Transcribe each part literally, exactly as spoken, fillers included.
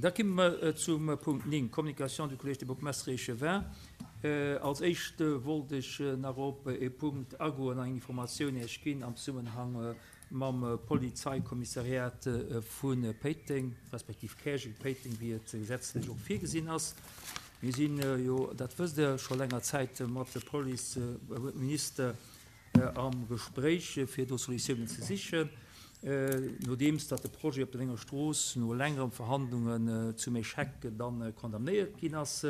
Da komme mer zum Punkt néng, Communication du Collège des bourgmestres et échevins. Als Éischt wollt ech nach op e Punkt agoen an eng Informatioun Iech ginn am Zesummenhang mam Polizeikommissariat vu Péiteng, respektiv Käerjeng-Péiteng, wéi et gesetzlech och virgesinn ass. Mir sinn jo, dat wësst Der, scho länger Zäit mat de Policeminister am Gespréich, fir do Solutiounen ze sichen, nodeems datt de Projet op der Lénger Strooss no längeren Verhandlungen zum Échec dann condamnéiert ginn ass.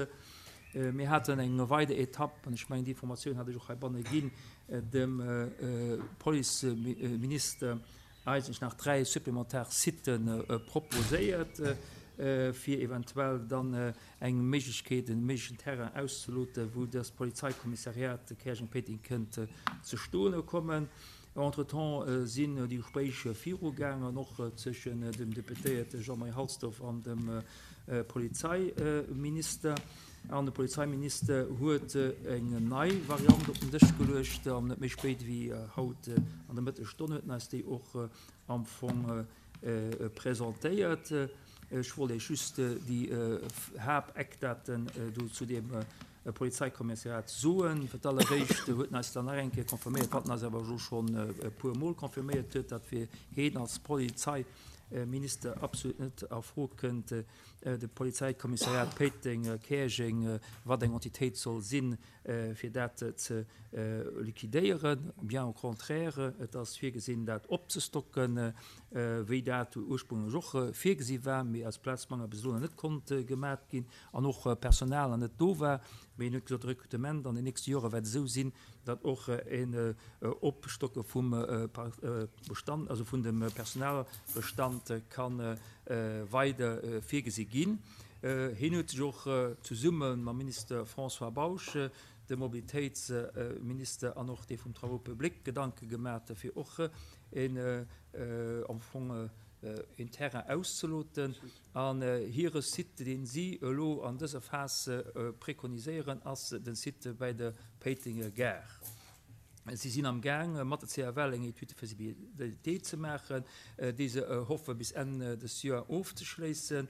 Mir haten eng weider Etapp, an ech mengen, déi Informatioun hat ech och heibanne ginn, dem Policeminister eigentlech nach dräi supplementar Sitë proposéiert, fir eventuell dann eng Méiglechkeet, e méiglechen Terrain auszeloten, wou dëst Polizeikommissariat Käerjeng-Péiteng kënnt ze stoene kommen. Entretemps sinn déi Gespréicher virugaangen, och zwëschen dem Deputéierte Jean-Marie Halsdorf an dem Polizeiminister. An de Polizeiminister huet eng nei Variant op den Dësch geluecht, an net méi spéit wéi haut an der Mëttesstonn huet en eis déi och am Fong presentéiert. Ech wollt Iech just déi Haapteckdaten do zu deem Polizeikommissariat soen. Fir d'alleréischt huet en eis dann nach eng Kéier confirméiert, wat en eis awer elo schonn e puer Mol confirméiert huet, datt fir heen als Polizeiminister absolut net a Fro kënnt, de Polizeikommissariat Péiteng-Käerjeng, wat eng Entitéit soll sinn, fir dat ze liquidéieren. Bien au contraire, et ass virgesinn, dat opzestocken, wéi dat ursprünglech och virgesi war, mee aus Plazmangel bis elo nach net konnt gemat ginn an och Personal nach net do war. Mee en huet gesot, de Rekrutement an den nächste Jore wäert esou sinn, datt och en Opstocke vum Bestand, also vun dem Personalbestand ka weider virgesi ginn. Hien huet sech och zesumme mam Minister François Bausch, dem Mobilitéitsminister an och dee vum Travaux publics Gedanke gemat, fir och en am Fong een Terrain auszeloten. An hire Site, deen si elo an dëser Phas prekoniséieren, ass den Site bäi der Péitenger Gare. Si sinn am Gaang, mat der C F L eng Étude de faisabilité ze maachen, déi se hoffe bis Enn des Joer ofzeschléissen,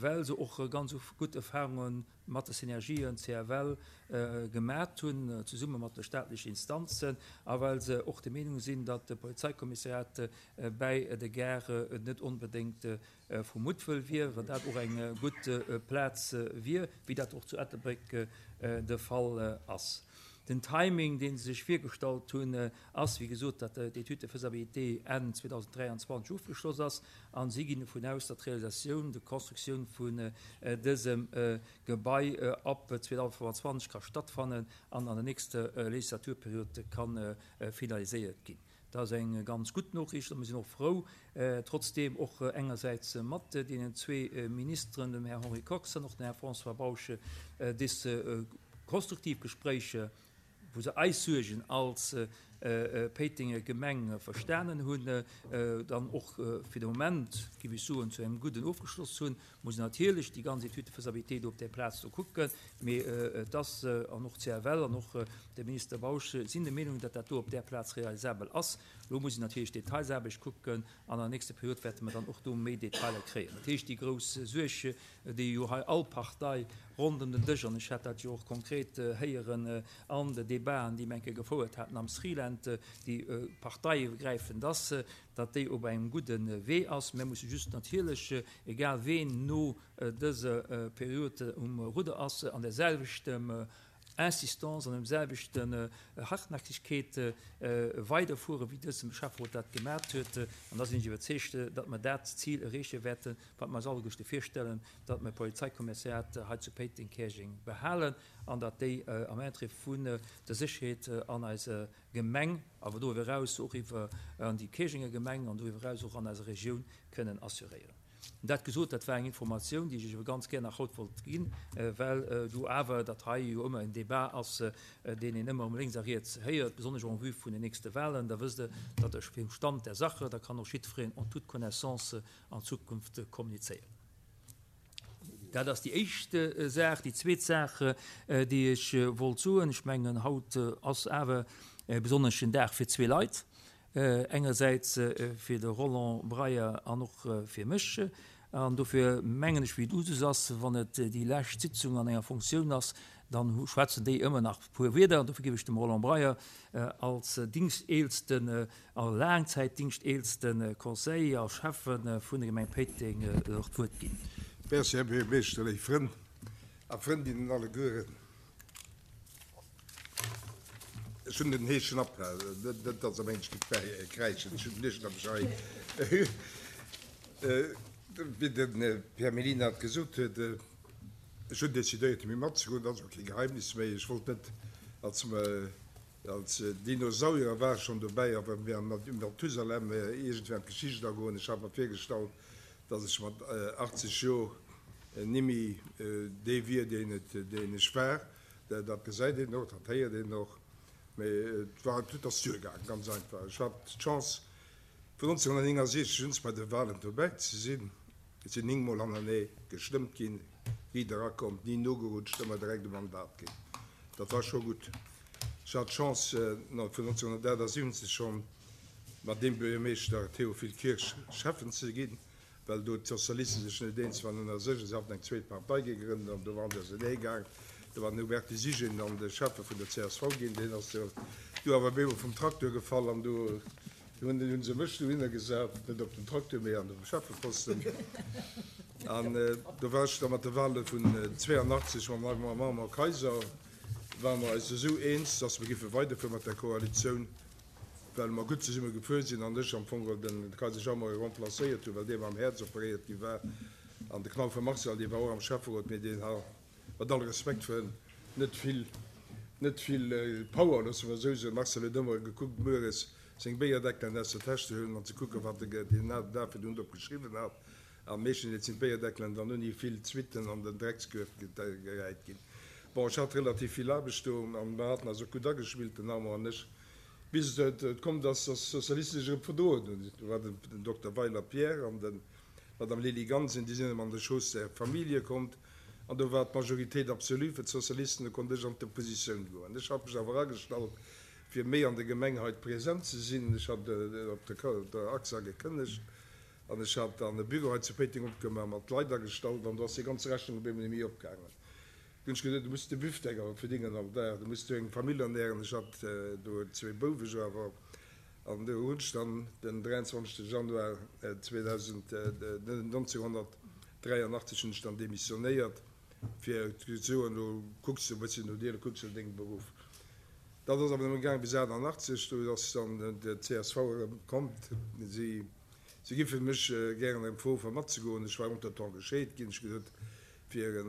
well se och ganz gutt Erfahrunge mat de Synergien C F L gemat hunn, zesumme mat de staatlechen Instanzen, a well se och der Meenung sinn, datt de Polizeikommissariat bäi de Gare net onbedéngt vu Muttwëll wier, well dat och eng gutt Plaz wier, wéi dat och zu Ettelbréck de Fall ass. Den Timing, dee se sech virgestallt hunn, ass, wéi gesot, datt d'Étude de faisabilité Enn zweedausenddräianzwanzeg ofgeschloss ass, a si ginn dovun aus, datt d'Realisatioun, d'Constructioun vun dësem Gebai ab zweedausendfënfandzwanzeg ka stattfannen an an der nächster Legislaturperiod ka finaliséiert ginn. Dat ass eng ganz gutt Noriicht a mir sinn och frou, trotzdeem och engersäits mat deenen zwee Ministeren, dem Här Henri Kox an och dem Här François Bausch, dës konstruktiv Gespréicher, wou se eis Suergen als Péitenger Gemeng verstanen hunn, dann och fir de Moment, géif ech soen, zu engem gudden ofgeschloss hunn. Muss een natierlech déi ganz Étude de faisabilité do op där Plaz do kucken, mee et ass, an och d'C F L an och de Minister Bausch sinn der Meenung, datt dat do op där Plaz realisabel ass. Elo muss een natierlech d'Detailsaarbecht kucken an an der nächster Period wäerte mer dann och do méi Detailer kréien. Dat heescht, déi grouss Suerg, déi jo hei all Partei rondëm den Dësch, an ech hat dat jo och konkret héieren an de Debaten, déi mir eng Kéier gefouert haten am Sriland, déi parteiiwwergräifend ass, datt déi op engem gudde Wee ass. Mir musse just natierlech, egal ween no dëser Period um Rudder ass, an där selwechter Insistance, an dem selwechten Hartnäckigkeet weiderfueren, wéi dëse Schäfferot dat gemat huet. An da sinn ech iwwerzeegt, datt mer dat Zil erreeche wäerten, wat mer eis alleguerte virstellen, datt mer d'Polizeikommissariat hei zu Péiteng-Käerjeng behalen an datt déi am Interêt vun der Sécherheet an eiser Gemeng, awer doriwwer eraus och iwwer an déi Käerjenger Gemeng an doriwwer eraus och an eiser Regioun kënnen assuréieren. Dat gesot, dat war eng Informatioun, déi ech Iech awer ganz gär nach haut wollt ginn, well do awer dat hei jo ëmmer en Débat ass, deen een ëmmer erëm lénks a riets héiert, besonnesch en vue vun den nächste Wahlen. Da wësst Der, datt ech vum Stand der Sache, da kann och jiddwereen en toute connaissance an Zukunft kommunizéieren. Dat ass déi éischt Saach. Déi zweet Saach, déi ech wollt soen, ech mengen, haut ass awer e besonneschen Dag fir zwee Leit. Engersäits fir de Roland Breyer an och fir mech. An dofir mengen ech, wéi et Usus ass, wann et déi lescht Sitzung an enger Fonctioun ass, dann schwätzen déi ëmmer nach e puer Wierder. An dofir géif ech dem Roland Breyer als dingschteelsten a laangzäitdingschteelste Conseiller a Schäffe vun der Gemeng Péiteng och d'Wuert ginn. Merci, Här Buergermeeschter, léif Frënn a Frëndinnen allegueren. Ech hunn den heeschen Appel, net datt Der mengt, ech géif kräischen, ech hunn den heeschen Appel hei. Wéi de Pierre Mellina et gesot huet, ech hunn decidéiert, méi matzegoen, dat ass och kee Geheimnis méi. Ech wollt net als, als Dinosaurier war ech schonn dobäi, awer wéi Mathusalem iergendwéi an d'Geschicht agoen. Ech hat mer virgestallt, datt ech mat achtzeg Joer nimmi dee wier, deen et, deen ech war. Dat gesäit een och, dat héiert een och. Mee et war, et ass duergaangen, ganz einfach. Ech hat d'Chance, vun nonzénhunnertnéngasiechzeg un bei de Wahlen dobäi ze sinn. Et sinn néng Mol hanernee gestëmmt ginn, riit erakomm, ni nogerutscht, ëmmer direkt e Mandat ginn. Dat war scho gutt. Ech hat d'Chance, vun nonzénhunnertaachtassiwwenzeg schonn mat deem Buergermeeschter Théophile Kirsch Schäffen ze ginn, well do d'Sozialisten sech net eens waren ënner sech a se haten eng zweet Partei gegrënnt an do waren se ausenee gaang. Do war den Hubertus Siggen dann de Schäffe vun der C S V ginn, deen ass do awer op eemol vum Traktor gefall an do hunn se mech dohinner gesat, net op den Traktor, mee an de Schäffeposten. An do war ech da mat de Wahle vun zwéianachtzeg mam Armand Kaiser, ware mer eis esou eens, datt mer giffe weiderfuere mat der Koalitioun, well mer gutt zesumme gefuer sinn an ech am Fong geholl den Kaiser Jean-Marie remplacéiert hunn, well dee mam Häerz operéiert gi war. An de Knauffer Marcel, dee war och am Schäfferot, mee deen ha mat all Respekt fir en, net vill, net vill Power, loosse mer esou soen. Marcel huet ëmmer gekuckt, mueres seng Béierdeckelen aus der Täsch ze huelen an ze kucken, wat e deen Dag virdrun drop geschriwwen hat. A meeschtens sinn d'Béierdeckelen dann ouni vill Suitten an den Dreckskuerf geräit ginn. Bon, ech hat relativ vill Aarbecht do an mer haten eis och gutt agespillt, den Armand an ech, bis et komm ass, dass d'Sozialisten sech erëm verdroen hunn. Do war den Dokter Weiler Pierre an den d'Madame Lily Gansen, déi sinn erëm an de Schoss der Famillje kommt an do war d'Majoritéit absolue fir d'Sozialisten, do konnt ech an d'Oppositioun goen. Ech hat mech awer agestallt, fir méi an der Gemeng hei present ze sinn. Ech hat op der A X A gekënnegt an ech hat dann e Büro hei zu Péiteng opgemaach, mat Leit agestallt an do ass déi ganz Rechnung op eemol net méi opgaangen. Du hunn ech geduet, du muss de Büftek awer verdingen all Dag, du muss du eng Famill ernähren. Ech hat do zwee Bouwe jo awer. An do hunn ech dann den dräianzwanzegste Januar nonzénhunnertdräianachtzeg hunn ech dann demissionéiert, fir ze soen, elo kucks du e bësschen no dir, elo kucks du no dengem Beruff. Dat ass awer nëmme gaange bis achtannachtzeg, do ass dann de C S V erëm komm. Si si giffe mech gären erëm froe fir matzegoen. Ech war entretemps gescheet ginn. Ech gesot, fir e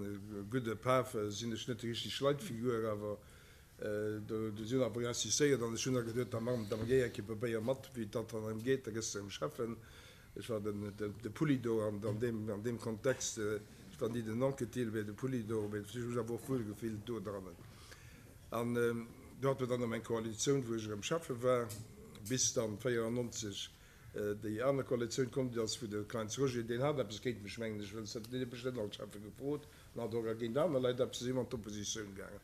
gudde Paf sinn ech net déi richteg Leitfigur, awer do si hunn awer insistéiert an ech hunn da geduet, da man, da géi eng Kéier probéier mat, wéi dat dann erëm geet, da gëss de erëm Schäffen. Ech war den de Poulidor an an deem an deem Kontext, ech war ni den Anquetil, mee de Poulidor, mee ech hu mech awer och wuel gefillt do drannen. An do hate mer dann erëm eng Koalitioun, wou ech erëm Schäffe war, bis dann véierannonzeg déi aner Koalitioun komm ass, wou de Kleins Roger, deen hat eppes géint mech, mengen ech, well deen huet mech net als Schäffe gefrot an hat och géint aner Leit eppes, si ëmmer an d'Oppositioun gaangen.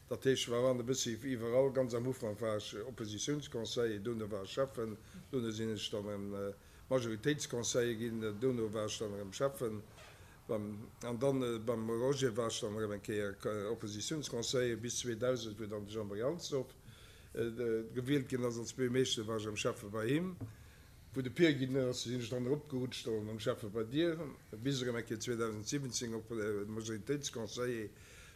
Dat heescht, ech war an e bëssi iwwerall. Ganz am Ufank war ech Oppositiounsconseiller, dono war ech Schäffen, dono sinn ech dann erëm Majoritéitsconseiller ginn, dono war ech dann erëm Schäffen, an dann beim Roger war ech dann erëm eng Kéier Oppositiounsconseiller bis zweedausend, wou dann de Jean-Marie Halsdorf gewielt ginn ass als Buergermeeschter, war ech erëm Schäffe bei him. Wou de Pier ginn ass, sinn ech dann eropgerutscht an erëm Schäffe bei dir, bis erëm eng Kéier zweedausendsiwwenzéng op Majoritéitsconseiller.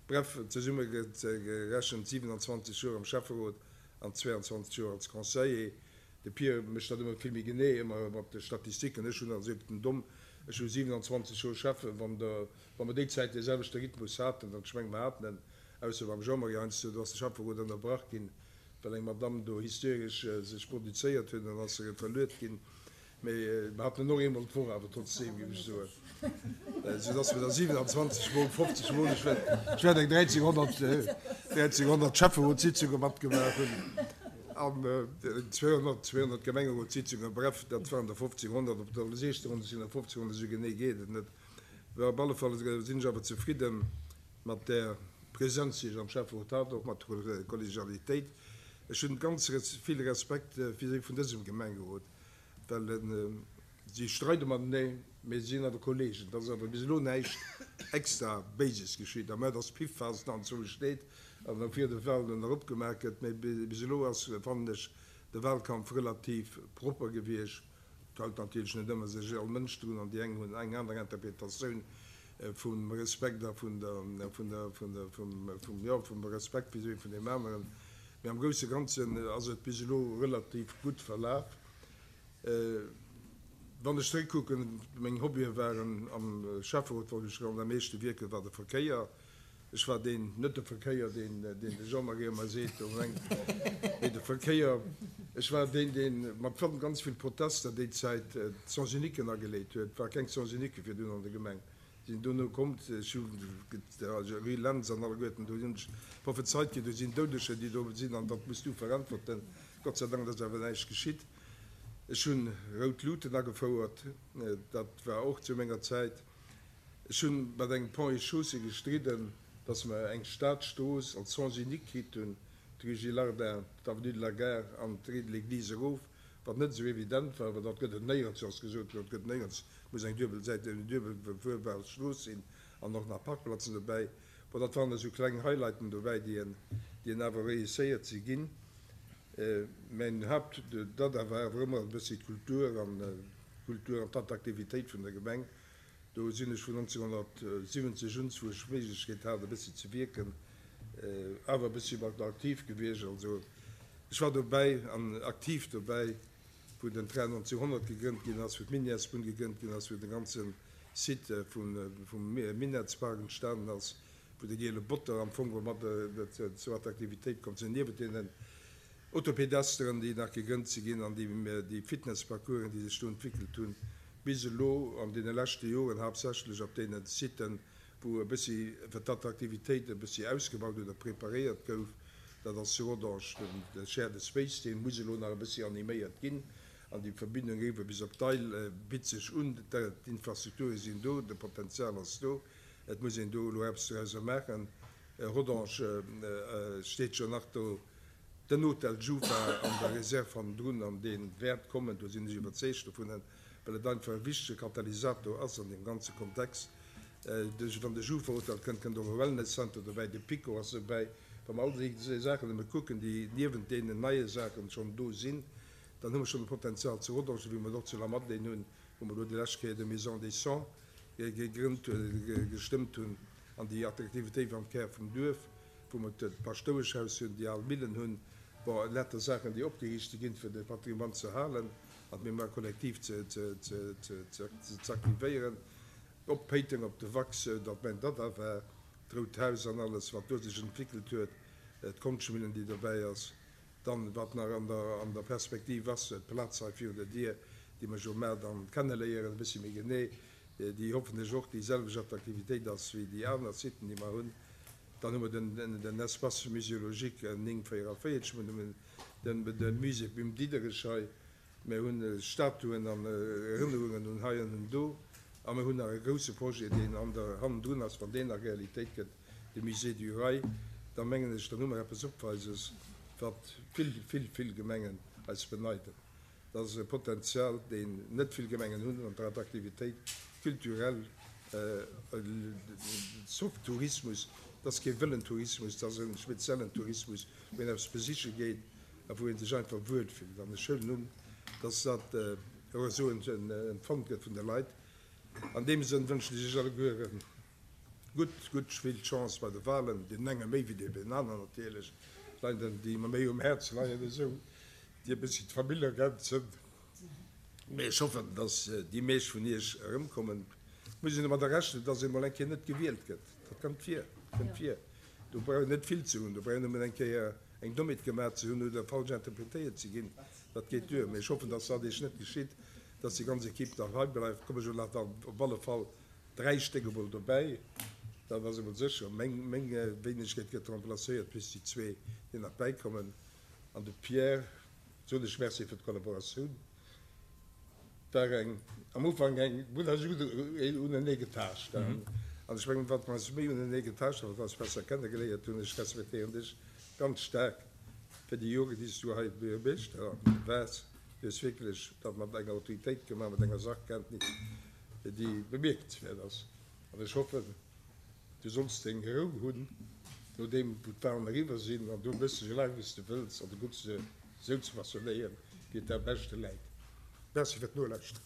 Bref, zesummegerechent siwenanzwanzeg Joer am Schäfferot an zweeanzwanzeg Joer als Conseiller. De Pier mécht dat ëmmer vill méi genee, ëmmer mat de Statistiken. Ech hunn also op den Domm, ech hu siwenanzwanzeg Joer Schäffen, wann der, wa mer déi Zäit dee selwechte Rhythmus haten, an ech menge mer haten en, ausser beim Jean-Marie heiansdo, do ass de Schäfferot ënnerbrach ginn, well eng Madamm do hysteresch sech produzéiert huet, an ass se verluet ginn. Mee mer haten en och eemol d'Woch awer trotzdeem, géif ech soen, soudass mer da siwenanzwanzeg mol fofzeg mol, ech wäert, ech wäert eng dräizehnhonnert, dräizehnhonnert Schäfferotssitzunge matgemaach hunn an zweehonnert, zweehonnert Gemengerotssitzungen. Bref, dat waren der fofzehnhonnert, op der siechzehnhonnert sinn der fofzehnhonnert, esou genee geet et net. Mä op alle Fall sinn ech awer zefridde mat där Presenz, déi ech am Schäfferot hat, och mat der Kollegialitéit. Ech hunn ganz vill Respekt vis-à-vis vun dësem Gemengerot, well Si streide mateneen, mee si sinn awer Kollegen. Et ass awer bis elo näischt extra Béises geschitt, à moins dass d'Piffphas nach anzwousch steet an da vir de Wahlen eropgemaach gëtt. Mee bis elo ass, fannen ech, de Wahlkampf relativ propper gewiescht. Et hält natierlech net ëmmer sech all Mënsch drun an déi eng hunn eng aner Interpretatioun vum Respekt a vun der, vun der, vun der, vum, vum, jo, vum Respekt vis-à-vis vun deem aneren. Mee am grousse Ganzen ass et bis elo relativ gutt verlaf. Wann ech zeréckkucken, meng Hobbye waren am Schäfferot, wou ech am meeschte wierken, war de Verkéier. Ech war deen, net de Verkéier, deen deen de Jean-Marie ëmmer seet do mengt, mee de Verkéier. Ech war deen, dee mat ganz vill Protester déi Zäit d'Sens-uniquen ageleet huet. Et war keng Sens-unique virdrun an der Gemeng. Sinn dono komm, ech hu Rue Lentz an alleguerten, do hunn ech prophezeit ginn, do sinn Doudeger, déi do sinn an dat muss du veräntwerten. Gott sei Dank, et ass awer näischt geschitt. Ech hunn rout Luuten agefouert, dat war och zu menger Zäit. Ech hunn mat engem Ponts et Chaussées gestridden, dass mer eng Stadstrooss als Sens unique kritt hunn, d'Rue Gillardin, d'Avenue de la Gare an d'Rue de l'Église erof, wat net esou evident war, well dat gëtt et néierens, ass gesot ginn, dat gëtt néierens, et muss eng duebelsäit, eng duebel befuerbar Strooss sinn an och nach Parkplazen dobäi. Bon, dat waren esou kleng Highlighten dobäi, déi en, déi en awer réusséiert si ginn. Mäin Haupt, dat war awer ëmmer e bëssi d'Kultur an d'Kultur an d'Attraktivitéit vun der Gemeng. Do sinn ech vun nonzénghonnertsiwwenzeg un, wou ech d'Méiglechkeet hat e bëssi ze wierken, awer e bëssi mat aktiv gewiescht. Also ech war dobäi an aktiv dobäi, wou den Train nonzénhonnert gegrënnt ginn ass, wou d'Minièresbunn gegrënnt ginn ass, wou de ganze Site vum Minettspark entstanen ass, wou de Giele Botter am Fong mat zur Attraktivitéit komm sinn, niewent deenen Autopedesteren, déi nach gegrënnt si ginn an déi Fitnessparcoursen, déi sech do entwéckelt hunn, bis elo an deene leschte Joren haaptsächlech op deene Siten, wou e bëssi fir d'Attraktivitéit e bëssi ausgebaut oder preparéiert gouf, dat ass zu Rodange de Shared Space, dee muss elo nach e bëssi animéiert ginn an déi Verbindung eriwwer bis op d'Eil bitt sech un. D'Infrastrukture sinn do, de Potenzial ass do, et muss een do elo eppes dorauser maachen. Rodange steet jo nach do. Den Hotel Jufa an der Reserve hannendrun, an dee wäert kommen, do sinn ech iwwerzeegt dovun, well et einfach e wichtege Katalysator ass an deem ganze Kontext. Wann de Jufa-Hotel kënnt, kënnt och e Wellness Center dobäi, de Pico ass dobäi. Wa mer all déi Saachen nëmme kucken, déi niewent deenen neie Saachen schonn do sinn, dann hu mer schonn e Potenzial zu Rodange, wéi mer et och zu Lamadelaine hunn, wou mer elo déi lescht Kéier de Maison des Cent gegrënnt, gestëmmt hunn, an déi Attraktivitéit am Kär vum Duerf. wou mer d'Paschtoueschhaus hunn, déi al Millen hunn, bon, lauter Saachen, déi opgeriichte ginn, fir de Patrimoine ze halen an d'Mémoire collective ze aktivéieren. Op Péiteng, op de Wax, dat mäin Dada war, d'Rout Haus an alles, wat do sech entwéckelt huet, d'Konschtmillen, déi dobäi ass. Dann, wat nach an der, an der Perspektiv ass, d'Plaz hei virun der Dier, déi mer jo mar dann kenneléieren e bëssi méi genee, déi hoffentlech och déi selwecht Attraktivitéit ass wéi déi aner Siten, déi mer hunn. Dann hu mer den Espace muséologique néng véieranvéierzeg, mir hunn de Musée Bim Diderich hei, mir hu Statuen an Erënnerungen un hei an un do a mir hunn nach e grousse Projet, deen an der hannendrun ass, wann deen nach Realitéit gëtt, de Musée du Rail. Da mengen ech, dann hu mer eppes Opweises, wat vill, vill, vill Gemengen eis beneiden. Dat ass e Potenzial, deen net vill Gemengen hunn an der Attraktivitéit culturelle, Soft Tourismus, dat ass kee wëllen Tourismus, dat ass e speziellen Tourismus, wou een eppes besiche geet a wou ee sech einfach wuel fillt. An ech huelen un, dass dat och esou empfonnt gëtt vun de Leit. An deem Sënn wënschen ech Iech alleguere gutt, gutt vill Chance bei de Wahlen, deenen enge méi wéi deenen aneren natierlech, Leit, déi mer méi um Häerz leien, esou déi e bëssi d'Famill ergänzen. Mee ech hoffen, dass déi meescht vun Iech erëmkommen. Et muss een domadder rechnen, dass ee mol eng Kéier net gewielt gëtt. Dat kënnt vir, kënnt vir. Do brauch een net vill ze hunn. Do brauch een nëmmen eng Kéier eng Dommheet gemaach ze hunn oder falsch interpretéiert ze ginn. Dat geet duer. Mee ech hoffen, dass dat Iech net geschitt, dass déi ganz Equipe nach hei bleift. Komme jo nach dann op alle Fall dräi Stéck emol dobäi. Dat ass emol sécher. Meng, meng Wéinegkeet gëtt remplacéiert plus déi zwee, déi nach bäikommen. An de Pierre soen ech Merci fir d'Kollaboratioun. War eng am Ufank eng, mir hunn eis gutt unenee getaascht. An ech mengen, wat mer eis méi unenee getaascht hunn, wat mer eis besser kennegeléiert hunn, ech respektéieren dech ganz staark fir déi Joren, déi s du hei Buergermeeschter waars. Du hues wierklech dat mat enger Autoritéit gemaach, mat enger Sachkenntnis, déi bemierkenswäert ass. An ech hoffen, du solls deng Rou hunn, nodeem wou d'Wahlen eriwwer sinn, an do méchs de esou laang wéi s de wëlls an du kucks se esou ze façonnéieren, wéi et der am beschte läit. Merci fir d'Nolauschteren.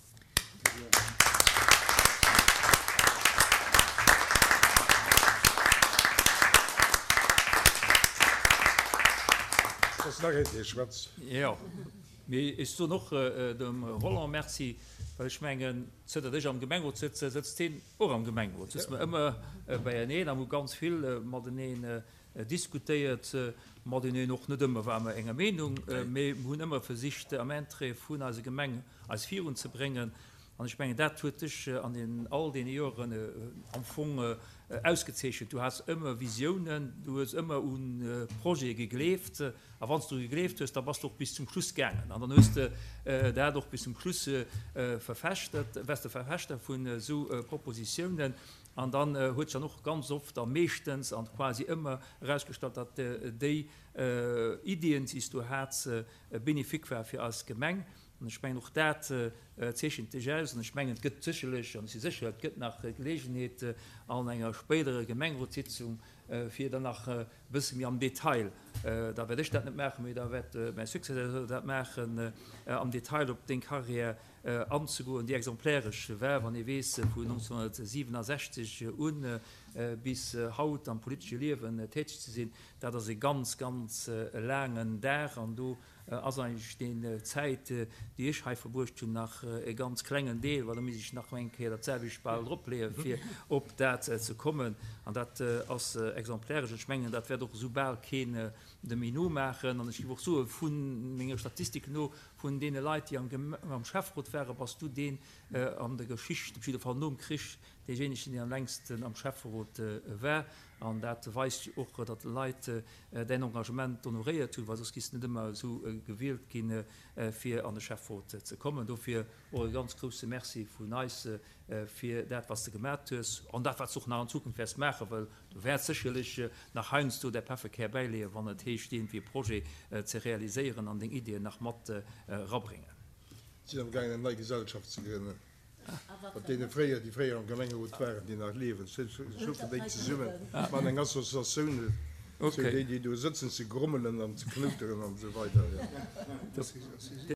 Et ass nach een, dee schwätzt. Jo, mee ech soen och dem Roland Merci, well ech mengen, zënter ech am Gemengerot sëtzen, sëtzt hien och am Gemengerot, sëtze mer ëmmer beieneen a hu ganz vill mateneen diskutéiert, mateneen, och net ëmmer ware mer enger Meenung, mee mer hunn ëmmer versicht am Interêt vun eiser Gemeng eis virunzebréngen. An ech mengen, dat huet dech an den all deene Joren am Fong ausgezeechent. Du has ëmmer Visiounen, du hues ëmmer u Projete gegleeft a wann s du gegleeft hues, da bass de och bis zum Schluss gaangen an dann hues de dat och bis zum Schluss verfechtet, waars de Verfechter vun esou Propositiounen. An dann huet sech dann och ganz oft a meeschtens an quasi ëmmer erausgestallt, datt déi Iddien, déi s du hats, bénéfique war fir eis Gemeng. An ech mengen, och dat zeechent dech aus. An ech mengen, et gëtt sécherlech, an ech si sécher, et gëtt nach Geleegenheet an enger spéiderer Gemengerotssitzung, fir dann nach e bësse méi am Detail, da wäert ech dat net maachen, mee da wäert mäi Successeur dat maachen, am Detail op deng Carrière anzegoen, déi exemplaresch war, wann ee weess, vun nonzénhunnertsiwenasechzeg u bis haut am politesche Liewen täteg ze sinn, dat ass e ganz, ganz laangen Dag. An do ass eigentlech déi Zäit, déi ech hei verbruecht hunn, nach e ganz klengen Deel, well da misst ech nach eng Kéier dat selwecht bal dropleeën, fir op dat ze kommen. An dat ass exemplaresch. Ech mengen, dat wäert och esou bal keen de méi nomaachen. An ech géif och soen, vu menge Statistiken no, vun deene Leit, déi am Schäfferot waren, bass du deen an der Geschicht, op jidde Fall nom Krich, deejéinegen, deen am längsten am Schäfferot war. An dat weist jo och, datt d'Leit däin Engagement honoréiert hunn, well soss giss de net ëmmer esou gewielt ginn, fir an de Schäfferot ze kommen. Dofir och e ganz grousse Merci vun eis fir dat, wat s de gemat hues an dat, wat s de och nach an Zukunft wäerts maachen, well du wäerts sécherlech nach heiansdo däi Pefferkär bäileeën, wann et heescht, iergendwéi e Projet ze realiséieren an deng Iddien nach mat erabréngen. Sinn am gaangen eng nei Gesellschaft ze grënnen mat deene fréier, déi fréier am Gemengerot waren, déi nach liewen. Ech ruffen déi zesummen, maachen eng Associatioun, sou déi, déi do sëtzen, ze grommelen an ze knouteren an esou weider.